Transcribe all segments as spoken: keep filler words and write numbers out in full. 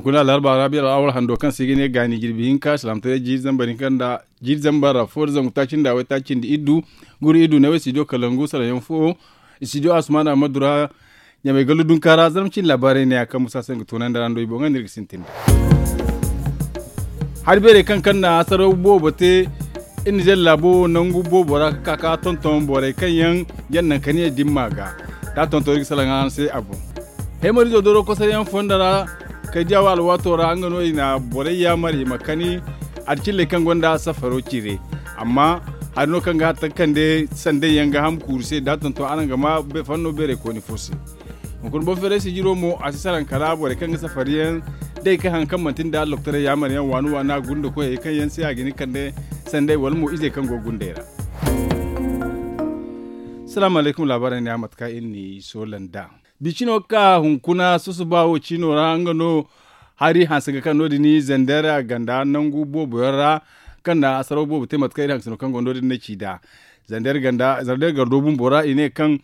Kuna alarba rabi al'awar hando kaŋ se i ga ne gaani jirbi hinka salaamtaray jiiri zambar hinka nda jiiri zambar ra fo da zangu taaci nda waytaaci nda iddu guru iddu ne wo studio kalangu salaŋ yaŋ fo. Studio asumana madura ɲamay gallu dunka ra zarma cindi laabaarey ne ya kaŋ musa se nga toonandi ra nda i boŋ ga no iri ga sintin da hari beerey kaŋ kaŋ na hasaraw boobo te. Iri na zeeri laabo nangu boobo ra ga ka ga tonton borey kaŋ yaŋ jaŋ naŋ ka ne dimma ga da a tonton iri ga salaŋ araŋ se a boŋ. Heemarizo doro kosoyaŋ fonda ra kay diya wo alwaato ra nga no i na borey yaamar i ma kani. Adicilley kaŋ gonda safaro cire amma hari no kaŋ ga hatta kande sanday yaŋ ga ham kuuru se da a tonton araŋ ga ma fanno beerey kooni fo se. Hunkuna boŋ feeray sijiro mo a si salaŋ kala borey kaŋ ga safari yaŋ day ka haŋ kaŋ manti nda loktorey yaamar yaŋ waani waani a gunda koyey kaŋ yaŋ se a ga hin kande sanday wala mo izey kaŋ go ga gundey ra. Salaamu alaykum laabaarey ne a mate kaŋ iri n'i soola nd'a. Bicino ga ka hunkuna susuba wo ciino ra nga no hari hanse ga kaŋ no- din zandeer ganda nangu boobo yaŋ ra kaŋ na hasaraw boobo te mate kaŋ iri hansino kaŋ go no- din na ci nd'a. Zandeer gardo bumbo ra i ne kaŋ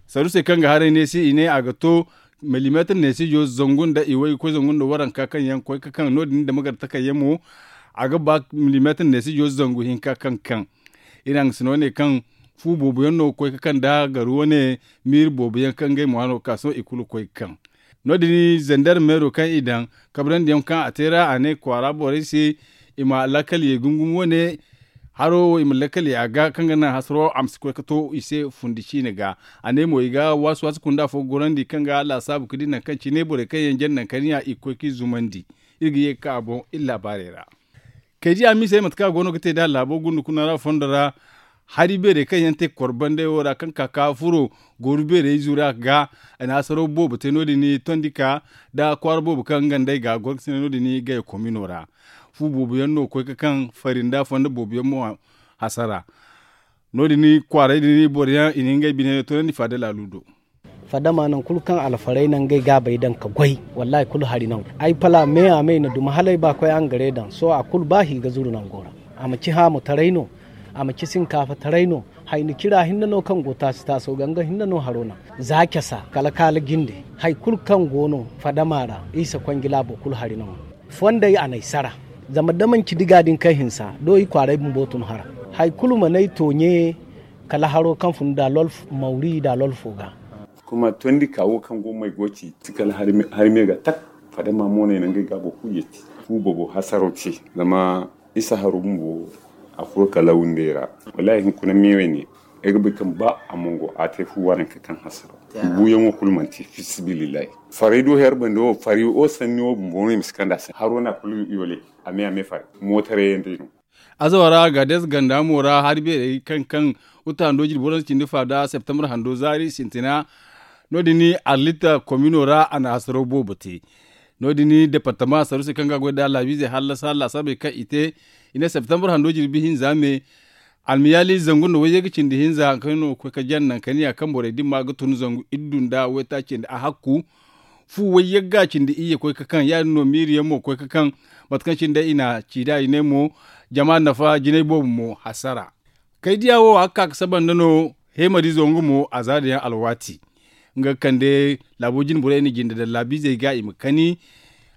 sarusey kaŋ ga haray neesi i ne a ga to milimeetir neesijo zangu nda iway ga koy zangu nda waranka kaŋ yaŋ koy ga kaŋ no- din dama gar takayyaŋ mo a ga ba milimeetir neesijo zangu hinka kaŋ kaŋ iri hansino ne kaŋ fu boobo yaŋ no ga koy ga kaŋ da garu wane miiri boobo yaŋ kaŋ ngey mo hano ga ka sohõ i kulu ga koy ga kaŋ. No- din zandarmeero kaŋ i daŋ kabrandi yaŋ kaŋ a te ra a ne kwaara borey se i ma lakkal ye gungum wane haro wo i ma lakkal ye a ga kaŋ ga naŋ hasaro a ma si koy ga to i se fundi ciine ga. A ne mo i ga waasi waasi kunda fo gorandi kaŋ ga laasaabu ga di naŋ kaŋ cine borey kaŋ yaŋ jaŋ naŋ kaniya i ga koy ga i zumandi. Iri ga ye ga ka a boŋ iri laabaarey ra. Kay diya miisey mate kaŋ a go no ga te nd'a laabo gunda kuna ra fondo ra hari beerey kaŋ yaŋ te korbandey wo ra kaŋ ka ka furo gooru beerey zura ga. A na hasaraw boobo te no- din tondi ka nda kwaara boobo kaŋ nga nd'ey ga goro ga sinda no- din gaya komino ra. Fu boobo yaŋ no ga koy ga kaŋ fari nda fondo boobo yaŋ mo hasara. No- din kwaaray din boro yaŋ i na ngey bine toonandi faada laalu do. Fadama nangu kulu kaŋ alfarey na ngey gaabey daŋ ga goy wallaahi kulu hari nangu ay pala me a me i na duma hala ay ba koy angare daŋ sohõ a kulu ba hi ga zuru nango ra. A ma ci haamu taray no. A ma ci sinkaafa taray no. Hayni cira hinne no kaŋ go taasi taaso ga nga hinne no haro naŋ. Za casa kala kaala jinde hari kulu kaŋ go no fadama ra isa konjila boro kulu hari nangu. Fondey a n'ay sara zama da manci diga din kaŋ hinsa do i kwaaray bumbo tun hara. Hari kulu mana ay tooɲe kala haro kaŋ fun da lolf mawri da lolfo ga. Kuma tondi ka wo kaŋ go may go ci ti kala hari me ga tak. Fadama mo no i na ngey gaabo kulu yeeti fu boobo hasaro te. Zama isa haro bumbo a furo kala wundey ra. Wallaahi hunkuna meewey ne ay ga bay kaŋ ba a mongo a te fu waranka kaŋ hasaro. Buuyaŋo kulu manti fi sabilillahi. Faray do her bande wo faray wo sanni wo bumbo no i ma si kand'a se haro no a kulu yoole. A me a me faray mootaray yaŋ day no. Azawa ra gaades ganda mo ra hari beerey kaŋ kaŋ uta hando jirbi waransa cindi fa da septembre hando zaari sintina. No- din arlita komino ra a na hasaraw boobo te. No- din departama saruusey kaŋ ga goy nda laabiizey hallasa laasaabey kaŋ i te i ne septembre hando jirbi hinza me. Almiyaali zangu nda wayye ga cindi hinza hari kaŋ no ga koy ga jaŋ naŋ kaniya kaŋ borey dimma ga tun zangu iddu nda waytaaci nda a hakku. Fu wayye ga cindi iyye koy ga kaŋ ya- din no miiri yaŋ mo ga koy ga kaŋ. Mate kaŋ cine day i na ci nd'a i ne mo jama nafa jinay boobo mo hasara. Kay diya wo a ga ka ga saba nda no heemariizo nga mo a zaada yaŋ alwaati. Nga ga kande laabo jine borey na jinde daŋ laabiizey ga i ma kani.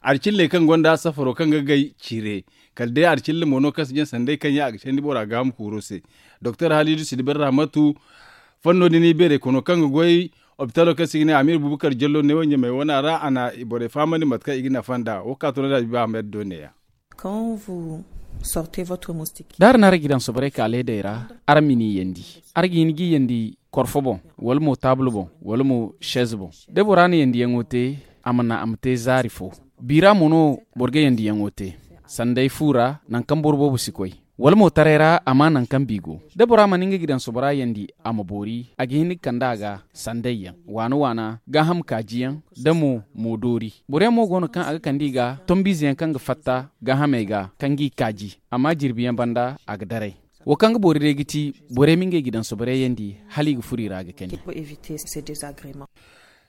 Arcilley kaŋ gonda safaro kaŋ ga gay cire kala day arcilla mo no kaŋ si jaŋ sanday kaŋ yaŋ a ga candi bora gaaham kuuro se. Doktor haliidu sidibar rahmatu fanno din i beerey kono kaŋ ga goy opitalo kaŋ se i ga ne amiir bubakar jallo neewo ɲamey wana ra a na borey fahamandi mate kaŋ i ga nafa nd'a wo ka toonandi a biba ahmed do neeya. Da araŋ na araŋ ga i daŋ soborey ka leedey ra, araŋ ma ni yandi. Araŋ ga hin g'i yandi korfo boŋ, wala mo taabul boŋ, wala mo sez boŋ. Da bora na yandiyaŋo te, a ma naŋ a ma te zaari fo. Biira mo no boro ga yandiyaŋo te. Sanday fu ra naŋ kaŋ boro boobo si koy. Wala mo taray ra a ma naŋ kaŋ bi go. Da bora mana nga ga daŋ sobora yandi a ma boori a ga hin ga kande a ga. Sanday yaŋ waana waana gaaham kaaji yaŋ, da mo mo doori. Boro yaŋ mo go no kaŋ a ga kande i ga tombiize yaŋ kaŋ ga fatta gaahamey ga kaŋ g'i kaaji. Amma jirbi yaŋ banda a ga daray. Wo kaŋ ga boori day ga ti borey ma ngey ga daŋ soborey yaŋ di hala i ga furo i ra ga kani.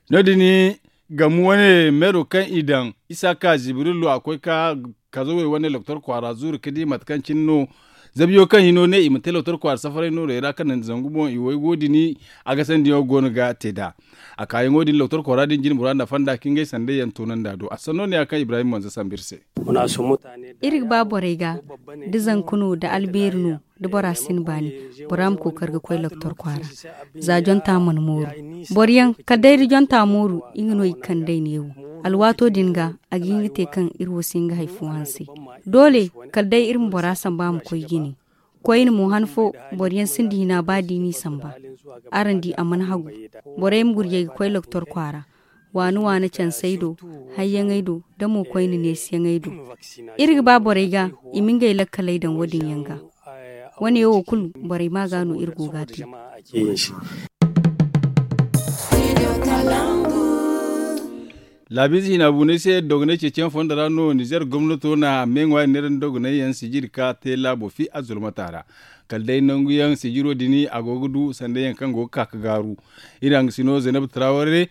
No- din gamu wane meero kaŋ i daŋ isa ka zibirillo a koy ka kazawey wane loktor kwaara zuuru ga di mate kaŋ cine no. Zabiyo kaŋ hino ne i ma te lootar kwaara safaray noorey ra kaŋ naŋ zangu boŋ i wo ay go din. A ga sandiyaŋo go no ga te nd'a. A kaayaŋo din lootar kwaara din jine bora nda fonda ka ngey sanday yaŋ toonandi a do a sanno ne ya kaŋ ibrahim manza sambu iri se. Iri ga ba borey ga da zanka no da albeeri no da bora si ni baani, bora ma kookari ga koy lootar kwaara. Za jonta mana mooru boro yaŋ kala day da jonta mooru, nga no i ga kande ay neewo. Alwaato din ga a ga hin ga te kaŋ iri wo si hin ga hari fo hanse. Doole kala day iri ma bora samba a ma koy jine. Koyne mo han fo boro yaŋ sinda hina ba da i n'i samba. Araŋ di a mana hagu. Borey ma gurjay ga koy lootar kwaara. Waana waana cansey do, hayyaŋey do, da mo koyne neesiyaŋey do. Iri ga ba borey ga i ma ngey lakkaley daŋ wo- din yaŋ ga. Wane wo kulu borey ma ga no iri go ga a te. Laabiize hina buunay se dogonay ceeciyaŋ fondo ra no nizer gomnato na me ŋwaari neera nda dogonay yaŋ sijiri ka te laabo fi azzulmata ra. Kala day nangu yaŋ sijiro din a go ga du sanda yaŋ kaŋ go ga ka ga gaaru. Iri hangasino zaynab taraware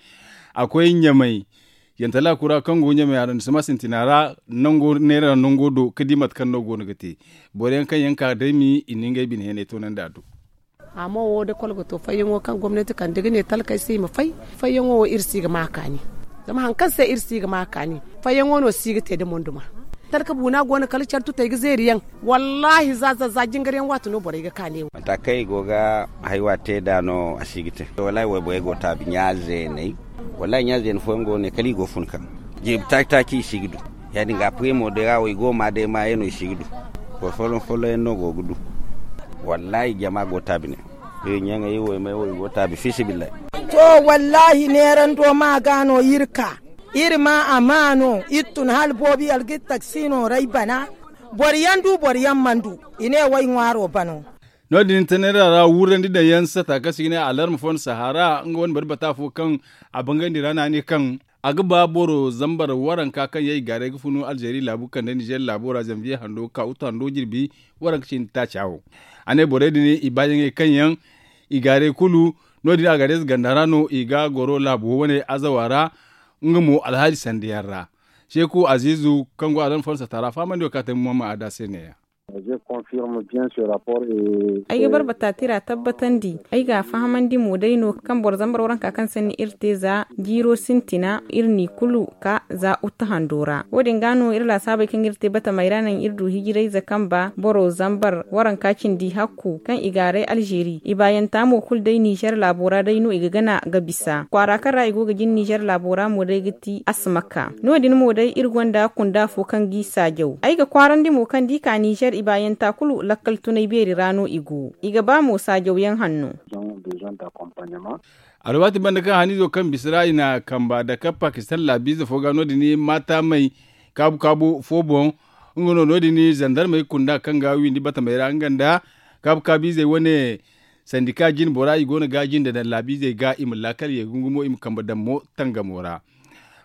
a koy ɲamay. Yantala kura kaŋ go ɲamay a ra ni si ma sintina ra nango neera nango do ga di mate kaŋ no go no ga te. Boro yaŋ kaŋ yaŋ ka day mi i na ngey bine heenay toonandi a do. Amma wo da kolo ga to fayyaŋo kaŋ gomnati kande ga ne talkey se i ma fay. Fayyaŋo wo iri si ga ma kaani. Zama hari kaŋ se iri si ga ma kaani fayyaŋo no si ga te da monduma. Talka buuna go no kala care tutey ga zeeri yaŋ. Wallaahi za za za jingar yaŋ waati no borey ga kaani. Mata kaŋ i go ga haywa te nd'a no a si ga te. Wallaahi wayborey go taabi ɲa zeeney. Wallaahi ɲa zeene fooyaŋ go no ne kala i go ga fun kaŋ jirbi taaci taaci i si ga du. Ya- din ga a pire mo day ra wo i go ga ma day maayaŋ no i si ga du. Boro folloŋ folloŋ yaŋ no go ga du. Wallaahi jama go taabi ne. Iri ɲaŋey wo i may wo i go taabi fiisabilillahi. To, wallaahi neerando ma ga no iri ka. Iri ma a ma no iri tun hala boobo yalga iri taksi no ra ay bana. Boro yaŋ du boro yaŋ mana du. I ne wo ay ŋwaaro bano. No- din tanera ra wurandi daŋ yaŋ sata kaŋ se i ga ne alarma fo nda sahara nga wane bari bata fo kaŋ a bangandi ra no a ne kaŋ a ga ba boro zambar waranka kaŋ yaŋ i gaaray ga funu alzeeri laabu kande nizer laabo ra zanviye hando ka utu hando jirbi waranka cindi taaca wo. A ne borey din i baayaŋey kaŋ yaŋ i gaaray kulu. No- din algareez ganda ra no i ga goro laabo wane azawa ra. Nga mo alhaali sanda yaŋ ra seeku aziizu kaŋ go alarma fo nda sata ra fahamandi wo kaŋ a te muhammad ada se ne- ya. Ay ga barbata tira tabbatandi ay ga a fahamandi mo day no kaŋ boro zambar waranka kaŋ sanni iri te za jiiro sintina iri n'i kulu ka za utte hando ra wo- din ga no iri laasaabey kaŋ iri te batamey ra naŋ iri du hijirayze kaŋ ba boro zambar waranka cindi hakku kaŋ i gaaray alzeeri i baayanta mo kulu day nizer laabo ra day no i ga gana ga bisa kwaara kaŋ ra i go ga jin nizer laabo ra mo day ga ti asmaka no- din mo day iri gonda kunda fo kaŋ g'i saajaw ay ga kwaarandi mo kaŋ da i ka nizer i baayanta kulu lakkal tunay beeri ra no i go i ga ba mo saajawyaŋ hanno. Alwaati banda kaŋ haniizo kaŋ bisa ra i na kamba dake pakistan laabiize fo ga no- din maata may kaabu kaabu fo boŋ. Nga no no- din zandarmey kunda kaŋ ga windi batamey ra nga nda kaabu kaabiizey wane sandika jine bora i go no ga jinde daŋ laabiizey ga i ma laakal ye gungumo i ma kambe daŋ mo tangamo ra.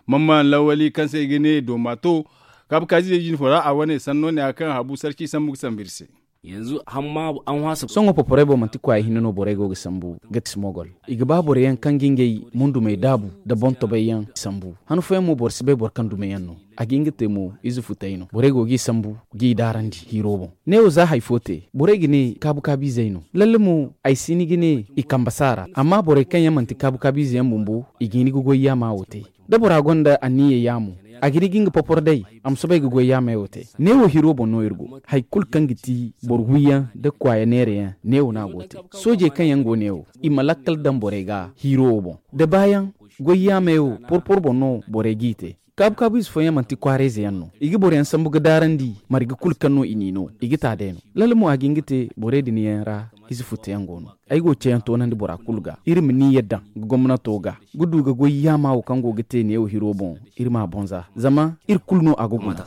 Mamman lawali kaŋ se i ga ne dooma to kaabu kaabiizey jine fo ra a wane sanno ne ya kaŋ habu sarci sambu ga sambu iri se. Sohõ poporey boŋ manti kwaaya hinne no borey go ga sambu ga ti smogol. I ga ba boro yaŋ kaŋ ga ngey mundumey daabu nda boŋ tobay yaŋ sambu han fooyaŋ mo boro si bay boro kaŋ dume yaŋ no. A ga hin ga te mo ize futay no borey go g'i sambu g'i daarandi hiiro boŋ. Neewo za hari fo te borey ga ne kaabu kaabiizey no lalle mo ay si ni ga ne i kambe si a ra amma borey kaŋ yaŋ manti kaabu kaabiize yaŋ bumbo i ga hin ga goy yaama wo te. Da bora gonda anniya yaamo a ga hin ga nga popor day a ma soobay ga goy yaamey wo te. Neewo hiro boŋ no iri go hari kulu kaŋ ga ti boro wiyaŋ nda kwaaya neerayaŋ neewo no a go te. Soojey kaŋ yaŋ go neewo i ma lakkal daŋ borey ga hiro wo boŋ da baayaŋ goy yaamey wo porpor boŋ no borey g'i te. Kaabu kaabu ize fooyaŋ manti kwaarayze yaŋ no i ga boro yaŋ sambu ga daarandi marga kulu kaŋ no i n'i no i ga ta day no. Lalle mo a ga hin ga te borey din yaŋ ra ize futteyaŋ go no. Ay go ga ceeyaŋ toonandi bora kulu ga iri ma ni yadda ga gomnato ga ga du ga goy yaama wo kaŋ go ga te neewo hiro boŋ iri m'a boŋ za zama iri kulu no a ga guna.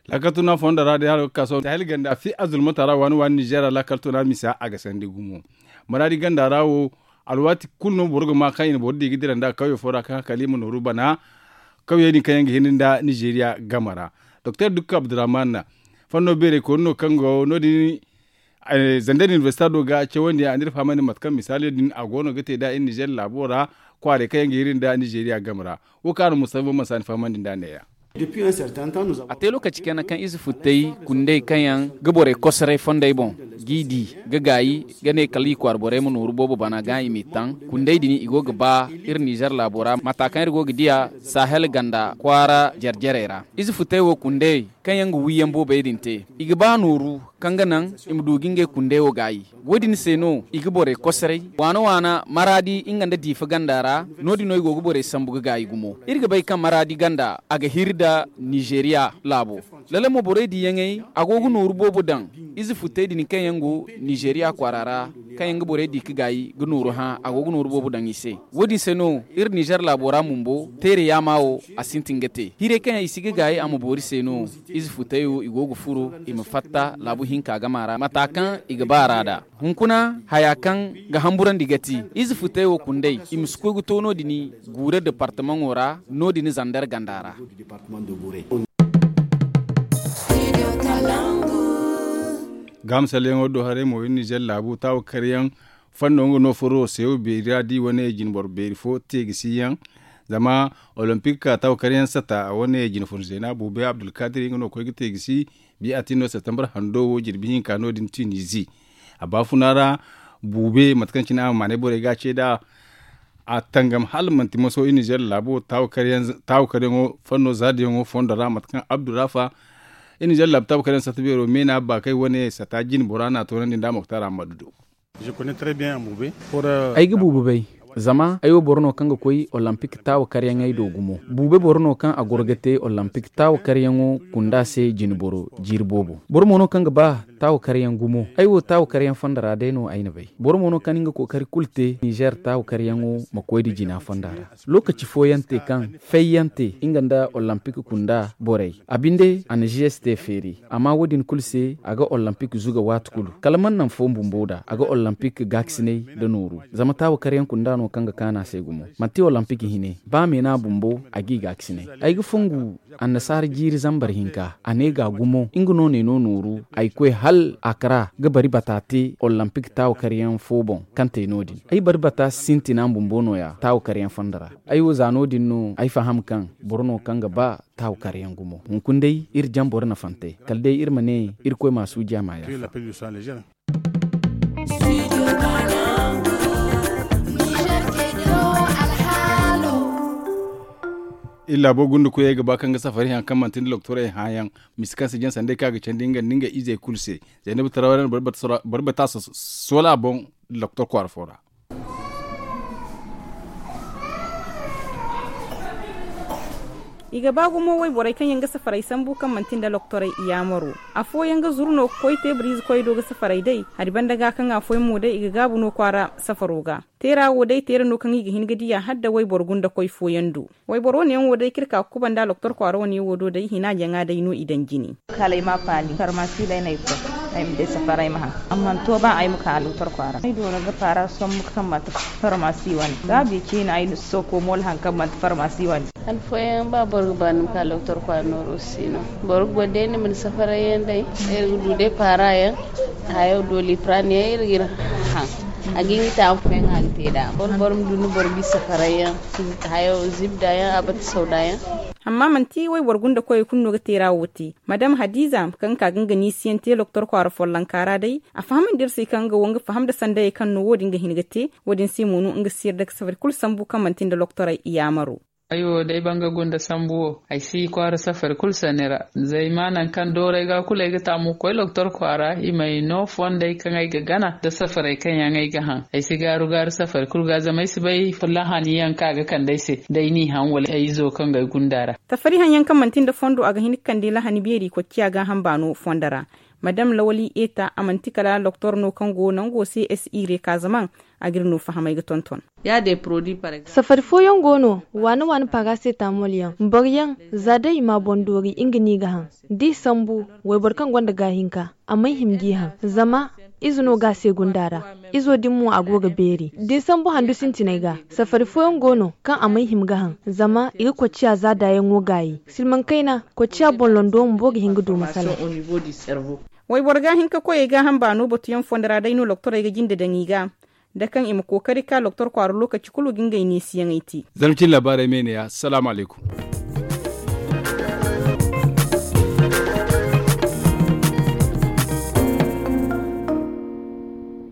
Laakal tuna fondo ra day hala ga ka sohõ sahel ganda fi azulmata ra waani waani nizer ra laakal tuna misa a ga sandi gumo. Maraadi ganda ra wo alwaati kulu no boro ga ma kaŋ i na boro di ga dira nd'a kawye fo ra kaŋ hakali ma nooru bana. Kawyey din kaŋ yaŋ ga hin nda nizeriya game ra doktor dukka abdurrahman fanno beerey kooni no kaŋ go no- din. Zandar universita do ga cawandi a n'iri fahamandi mate kaŋ misaaliyo din a go no ga te nd'a iri nizer laabo ra. Kwaarey kaŋ yaŋ ga hiri nda nizeriya game ra wo kaŋ a na mustafa bamman si a ni fahamandi nd'a ne- ya. A te lokaci kayna kaŋ ize futtey kundey kaŋ yaŋ ga borey kosoray fondey boŋ g'i di ga gaayi ga ne kala i kwaara borey ma nooru boobo bana ga i m'i taŋ. Kundey din i go ga ba iri nizer laabo ra mata kaŋ iri go ga diya sahel ganda kwaara jare-jarey ra. Ize futtey wo kundey kaŋ yaŋ ga wiiyaŋ boobey din te i ga ba nooru kaŋ ga naŋ i ma du ga ngey kundey wo gaayi. Wo- din se no i ga borey kosoray waana waana maraadi nga nda diifa ganda ra. No- din no i go ga borey sambu ga gaayi gumo. Iri ga bay kaŋ maraadi ganda a ga hiri nda nizeeriya laabo. Lala mo borey diyaŋey a go ga nooru boobo daŋ ize futtey din kaŋ yaŋ go nizeeriya kwaara ra kaŋ yaŋ ga borey di ga gaayi ga nooru hã a go ga nooru boobo daŋ i se. Wo- din se no iri nizer laabo ra bumbo teere yaama wo a sintin ga te hirey kaŋ yaŋ i si ga gaayi a ma boori se no. Ize futtey wo i go ga furo i ma fatta laabu hinka game ra mata kaŋ i ga ba ra nd'a. Hunkuna haya kaŋ ga hamburandi ga ti ize futtey wo kundey i ma si koy ga to no- din guure departamaŋo ra no- din zander ganda ra. Gaama salleyaŋo do haray mo iri nizer laabu taawa karyaŋ fanno nga no furo seewo beeri ra da i wane jinboro beeri fo teegisi yaŋ. Zama olompik taawa karyaŋ sata a wane jinfun zeena buubey abdulkadir nga no koy ga teegisi. Biya a tin no septembre hando wo jirbi hinka no- din tunizi a baafuna ra. Buube mate kaŋ cine a ma maanay borey ga a ce nd'a a tangam hala manti maso iri nizer laabo taawa karyaŋo fanno zaadiyaŋo fondo ra mate kaŋ abdurafa iri nizer laabu taawa karyaŋ sata beero meena baakay wane sata jinbora no a toonandi nda moktar ammadu do. Ay ga buubu bay zama ay wo boro no kaŋ ga koy olompik taawa karyaŋey do gumo. Buube boro no kaŋ a goro ga te olompik taawa karyaŋo kunda se jinboro jiiri boobo. Boro mo no kaŋ ga ba taawa karyaŋ gumo. Ay wo taawa karyaŋ fonda ra day no ay na bay. Boro mo no kaŋ nga kookari kulu te nizer taawa karyaŋo ma koy nda jina fonda ra. Lokaci fooyaŋ te kaŋ fayyaŋ te nga nda olompik kunda borey a binde a na gs te feeri. Amma wo- din kulu se a ga olompik zuga waati kulu kala mana naŋ fo bumbo nd'a a ga olompik gaakasinay nda nooru. Zama taawa karyaŋ kunda no kaŋ ga kaanu a se gumo manti olompik hine ba meena bumbo a g'i gaakasinay. Ay ga fongu annasaara jiiri zambar hinka a ne ga gumo nga no ne no nooru. Ay koy hala akara ga bari bata te olompik taawa karyaŋ fo boŋ kaŋ te no- din. Ay bari bata sintina bumbo nooya taawa karyaŋ fonda ra. Ay wo za no- din no ay faham kaŋ boro no kaŋ ga ba taawa karyaŋ gumo. Hunkuna day iri jamboro na fante kala day iri ma ne irkoy ma suuji a ma yaafa. Iri laabo gunda koyey ga ba kaŋ ga safari haŋ kaŋ manti nda loktorey hãayaŋ. Misi kaŋ si jaŋ sanday kaŋ a ga candi nga nda ngey izey kulu se. Zaynaba tarawey no boro bata soola boŋ. Loktor kwaara fo ra. I ga ba gumo wayborey kaŋ yaŋ ga safaray sambu kaŋ manti nda loktorey iyaamaro. Afooyaŋ ga zuru no ga koy teebur-ize koy do ga safaray day. Hari banda ga kaŋ afooyaŋ mo day i ga gaabu no kwaara safaro ga. Teera wo day teera no kaŋ i ga hin ga diya hala da wayboro gunda koy fooyaŋ do. Wayboro wane yaŋ wo day kaŋ iri ka ga kubanda loktor kwaara wane wo do day hina jaŋa day no i daŋ jine. Kala ay ma paali farmasi day no ay koy. Ay ma day safara ay ma haŋ. Amma to ba ay ma ka loktor kwaara ay doona ga paara sombu kaŋ manti farmasi wane gaabi ciina ay na soko moolo haŋ kaŋ manti farmasi wane. Han fooyaŋ ba boro ga ba ni ma ka loktor kwaara nooro si no. Boro ga goy day ni ma ni safaray yaŋ day iri ga du day paara yaŋ. Hayo doliprane yaŋ iri ga iri haŋ. A ga iri taamu fooyaŋ a ga te nd'a boro boro ma du ni boro ga i safaray yaŋ. Hayo zibda yaŋ a bata sawda yaŋ. Amma manti wayboro gunda koyey kulu no ga teera wo te. Madam hadiza kaŋ ka ga nga niisiyaŋ te loktor kwaara follonka ra day. A fahamandi iri se kaŋ nga wo nga faham nda sandayey kaŋ no wo- din ga hin ga te. Wo- din se mo no nga si yarda ga safari kulu sambu kaŋ manti nda loktorey iyaamaro. Ay wo day banga gunda sambu wo ay si kwaara safari kulu sanni ra. Zay ma nangu kaŋ dooray ga kulu ay ga taamu ga koy loktor kwaara i m'ay no fondey kaŋ ay ga gana nda safaray kaŋ yaŋ ay ga haŋ. Ay si gaaru gaaru safari kulu ga zama ay si bay lahani yaŋ kaŋ a ga kande ay se da ay n'i haŋ wala ay izo kaŋ ga ay gunda ra. Safari haŋ yaŋ kaŋ manti nda fondo a ga hin ga kande lahani beeri kocciya gaaham baano fondo ra. Madam lawali eta a manti kala loktor no kaŋ go nango se s i re ka zama a ga iri no fahamay ga tonton. Safari fooyaŋ go no waana waana parasetamol yaŋ boro yaŋ za day i ma a boŋ doori nga no i ga haŋ. Da i sambu wayboro kaŋ gonda gaahinka a mana hima g'i haŋ. Zama ize no ga a se gunda ra. Izo din mo a go ga beeri da ni sambu handu sintinay ga. Safari fooyaŋ go no kaŋ a mana hima ga haŋ zama i ga kocciya za daayaŋo gaayi silmaŋ kayna kocciya boŋ londo bumbo ga hin ga du masala. Wayboro ga hin ka koyey gaaham baano batuyaŋ fondo ra day no loktorey ga jinde daŋ i ga da kaŋ i ma kookari ka loktor kwaara lokaci kulu ga ngey neesiyaŋey te. Zarma cine laabaarey me ne ya salaamu alaykum.